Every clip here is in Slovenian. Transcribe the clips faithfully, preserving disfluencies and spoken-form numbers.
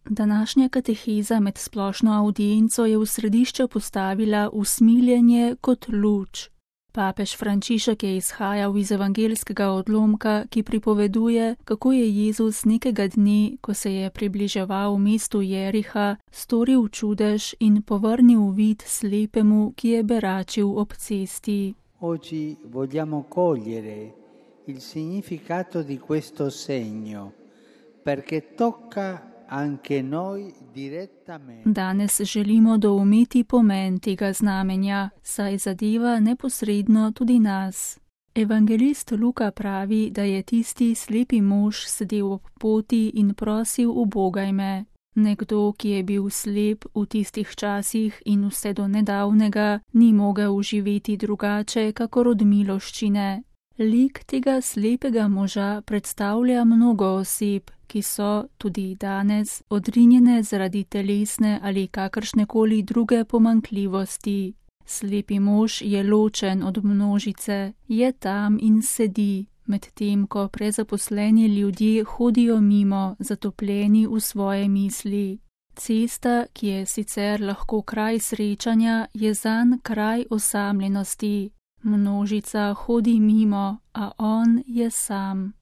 Današnja kateheza med splošno avdienco je v središče postavila usmiljenje kot luč. Papež Frančišek je izhajal iz evangeljskega odlomka, ki pripoveduje, kako je Jezus nekega dne, ko se je približeval mestu Jeriha, storil čudež in povrnil vid slepemu, ki je beračil ob cesti. Oggi vogliamo cogliere il significato di questo segno, perché tocca anche noi direttamente. Danes želimo doumeti pomen tega znamenja, saj zadeva neposredno tudi nas. Evangelist Luka pravi, da je tisti slepi mož sedel ob poti in prosil ubogaj me. Nekdo, ki je bil slep v tistih časih in vse do nedavnega, ni mogel živeti drugače, kakor od miloščine. Lik tega slepega moža predstavlja mnogo oseb, ki so, tudi danes, odrinjene zaradi telesne ali kakršnekoli druge pomanjkljivosti. Slepi mož je ločen od množice, je tam in sedi, medtem ko prezaposleni ljudje hodijo mimo, zatopljeni v svoje misli. Cesta, ki je sicer lahko kraj srečanja, je zanj kraj osamljenosti. Množica hodi mimo, a on je sam.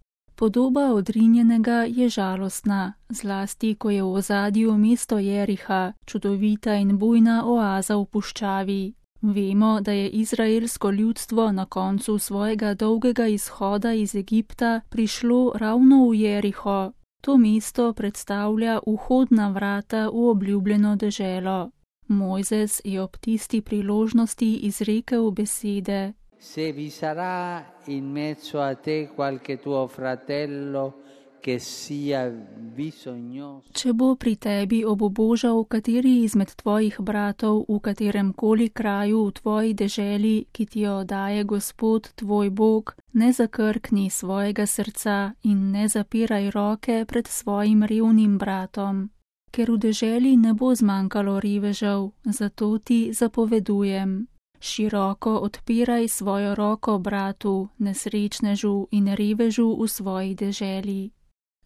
Podoba odrinjenega je žalostna, zlasti ko je v ozadju mesto Jeriha, čudovita in bujna oaza v puščavi. Vemo, da je izraelsko ljudstvo na koncu svojega dolgega izhoda iz Egipta prišlo ravno v Jeriho. To mesto predstavlja vhodna vrata v obljubljeno deželo. Mojzes je ob tisti priložnosti izrekel besede: Se vi sarà in mezzo a te qualche tuo fratello che sia bisognoso. Če bo pri tebi obubožal kateri izmed tvojih bratov v katerem koli kraju v tvoji deželi, ki ti jo daje Gospod tvoj Bog, ne zakrkni svojega srca in ne zapiraj roke pred svojim revnim bratom. Ker v deželi ne bo zmanjkalo revežev, zato ti zapovedujem. Široko odpiraj svojo roko bratu, nesrečnežu in revežu v svoji deželi.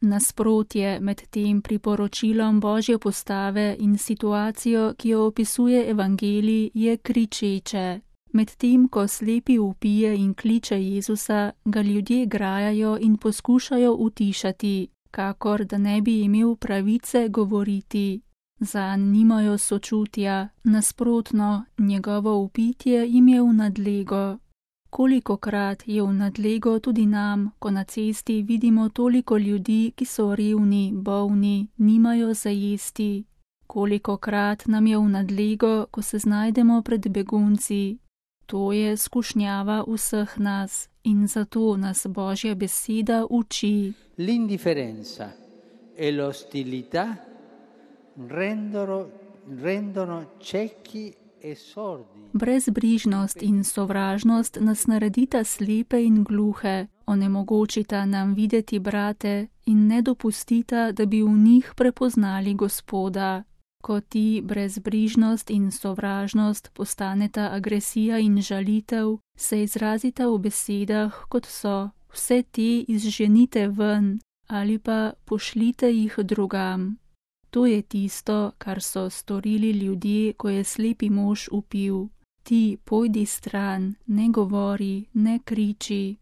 Nasprotje med tem priporočilom Božje postave in situacijo, ki jo opisuje evangelij, je kričeče. Medtem ko slepi vpije in kliče Jezusa, ga ljudje grajajo in poskušajo utišati, kakor da ne bi imel pravice govoriti. Zanj nimajo sočutja, nasprotno, njegovo vpitje jim je v nadlego. Kolikokrat je v nadlego tudi nam, ko na cesti vidimo toliko ljudi, ki so revni, bolni, nimajo za jesti. Kolikokrat nam je v nadlego, ko se znajdemo pred begunci. To je skušnjava vseh nas in zato nas Božja beseda uči. L'indifferenza e l'ostilità rendono, rendono ciechi e sordi. Brezbrižnost in sovražnost nas naredita slepe in gluhe, onemogočita nam videti brate in ne dopustita, da bi v njih prepoznali Gospoda. Ko ti brezbrižnost in sovražnost postaneta agresija in žalitev, se izrazita v besedah, kot so: vse te izženite ven ali pa pošljite jih drugam. To je tisto, kar so storili ljudje, ko je slepi mož vpil: ti pojdi stran, ne govori, ne kriči.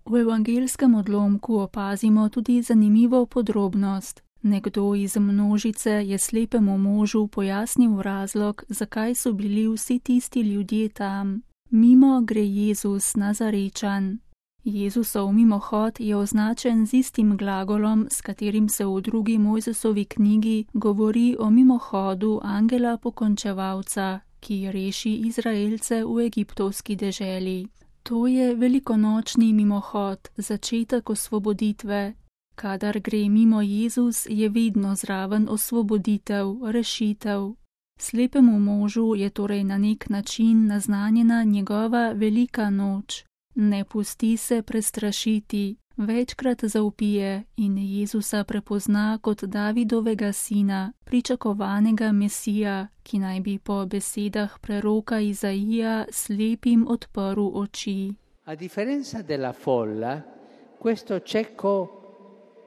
V evangeljskem odlomku opazimo tudi zanimivo podrobnost. Nekdo iz množice je slepemu možu pojasnil razlog, zakaj so bili vsi tisti ljudje tam. Mimo gre Jezus Nazarečan. Jezusov mimohod je označen z istim glagolom, s katerim se v drugi Mojzesovi knjigi govori o mimohodu angela pokončevalca, ki reši Izraelce v egiptovski deželi. To je velikonočni mimohod, začetek osvoboditve. Kadar gre mimo Jezus, je vedno zraven osvoboditev, rešitev. Slepemu možu je torej na nek način naznanjena njegova velika noč. Ne pusti se prestrašiti, večkrat zavpije in Jezusa prepozna kot Davidovega sina, pričakovanega Mesija, ki naj bi po besedah preroka Izaija slepim odprl oči. A differenza della folla, questo cieco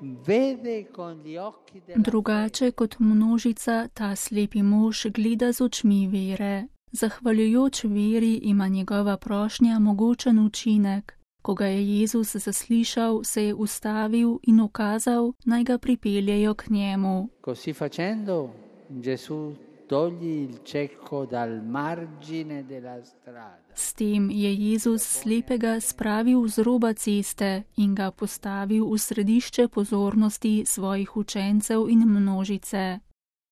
vede con gli occhi della Drugače kot množica, ta slepi mož gleda z očmi vere. Zahvaljujoč veri ima njegova prošnja mogočen učinek. Ko ga je Jezus zaslišal, se je ustavil in ukazal, naj ga pripeljejo k njemu. Così facendo, Gesù toglie il cieco dal margine della strada. S tem je Jezus slepega spravil z roba ceste in ga postavil v središče pozornosti svojih učencev in množice.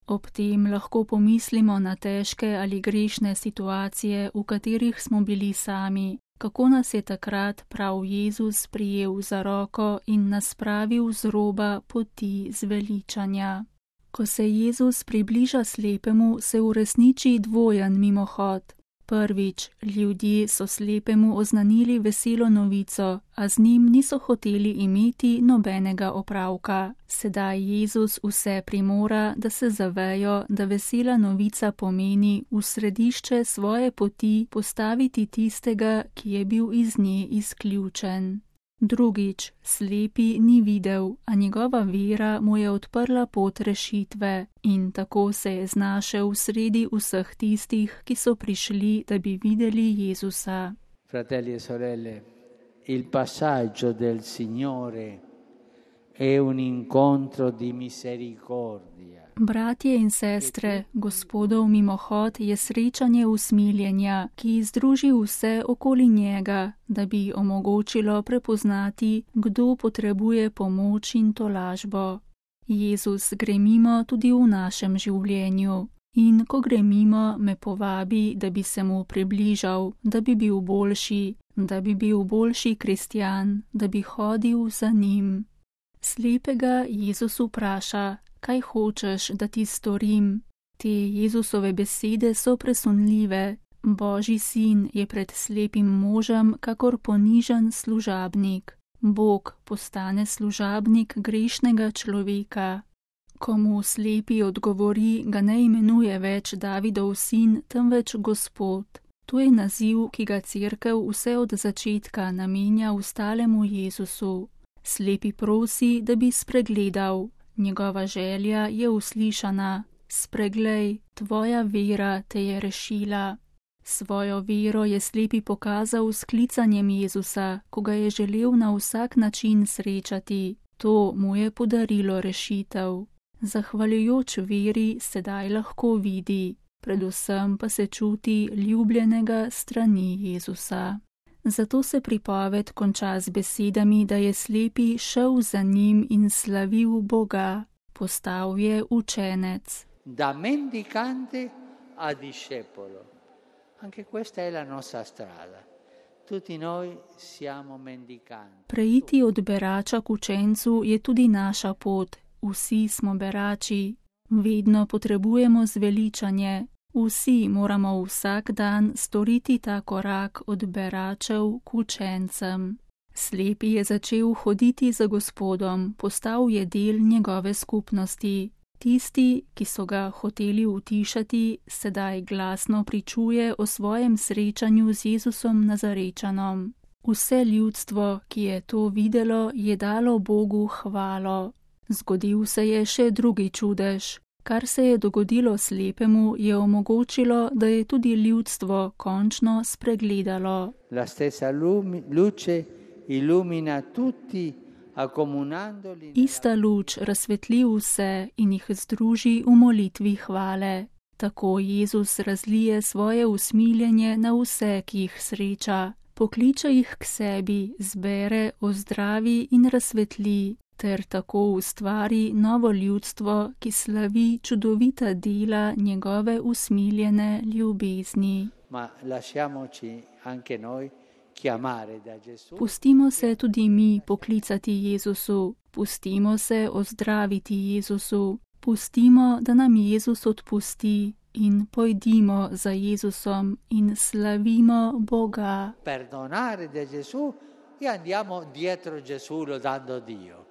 Ob tem lahko pomislimo na težke ali grešne situacije, v katerih smo bili sami, kako nas je takrat prav Jezus prijel za roko in nas spravil z roba poti zveličanja. Ko se Jezus približa slepemu, se uresniči dvojen mimohod. Prvič, ljudje so slepemu oznanili veselo novico, a z njim niso hoteli imeti nobenega opravka. Sedaj Jezus vse primora, da se zavejo, da vesela novica pomeni v središče svoje poti postaviti tistega, ki je bil iz nje izključen. Drugič, slepi ni videl, a njegova vera mu je odprla pot rešitve in tako se je znašel sredi vseh tistih, ki so prišli, da bi videli Jezusa. Fratelli e sorelle, il passaggio del Signore è un incontro di misericordia. Bratje in sestre, Gospodov mimohod je srečanje usmiljenja, ki združi vse okoli njega, da bi omogočilo prepoznati, kdo potrebuje pomoč in tolažbo. Jezus gre mimo tudi v našem življenju in ko gre mimo, me povabi, da bi se mu približal, da bi bil boljši, da bi bil boljši kristjan, da bi hodil za njim. Slepega Jezus vpraša: kaj hočeš, da ti storim? Te Jezusove besede so presunljive. Božji sin je pred slepim možem kakor ponižen služabnik. Bog postane služabnik grešnega človeka. Ko mu slepi odgovori, ga ne imenuje več Davidov sin, temveč Gospod. To je naziv, ki ga Cerkev vse od začetka namenja ustalemu Jezusu. Slepi prosi, da bi spregledal. Njegova želja je uslišana: spreglej, tvoja vera te je rešila. Svojo vero je slepi pokazal s klicanjem Jezusa, ko ga je želel na vsak način srečati. To mu je podarilo rešitev. Zahvaljujoč veri sedaj lahko vidi, predvsem pa se čuti ljubljenega strani Jezusa. Zato se pripoved konča z besedami, da je slepi šel za njim in slavil Boga. Postal je učenec. Da mendicante a discepolo. Anche questa è la nostra strada. Tutti noi siamo mendicanti. Preiti od berača k učencu je tudi naša pot. Vsi smo berači. Vedno potrebujemo zveličanje. Vsi moramo vsak dan storiti ta korak od beračev k učencem. Slepi je začel hoditi za Gospodom, postal je del njegove skupnosti. Tisti, ki so ga hoteli utišati, sedaj glasno pričuje o svojem srečanju z Jezusom Nazarečanom. Vse ljudstvo, ki je to videlo, je dalo Bogu hvalo. Zgodil se je še drugi čudež. Kar se je dogodilo slepemu, je omogočilo, da je tudi ljudstvo končno spregledalo. La stessa luce illumina tutti, accomunandoli. Ista luč razsvetli vse in jih združi v molitvi hvale. Tako Jezus razlije svoje usmiljenje na vse, ki jih sreča. Pokliče jih k sebi, zbere, ozdravi in razsvetli. Ter tako ustvari novo ljudstvo, ki slavi čudovita dela njegove usmiljene ljubezni. Ma lasciamoci anche noi chiamare da Gesù. Pustimo se tudi mi poklicati Jezusu, pustimo se ozdraviti Jezusu, pustimo, da nam Jezus odpusti in pojdimo za Jezusom in slavimo Boga. Perdonare da Gesù e andiamo dietro Gesù lodando Dio.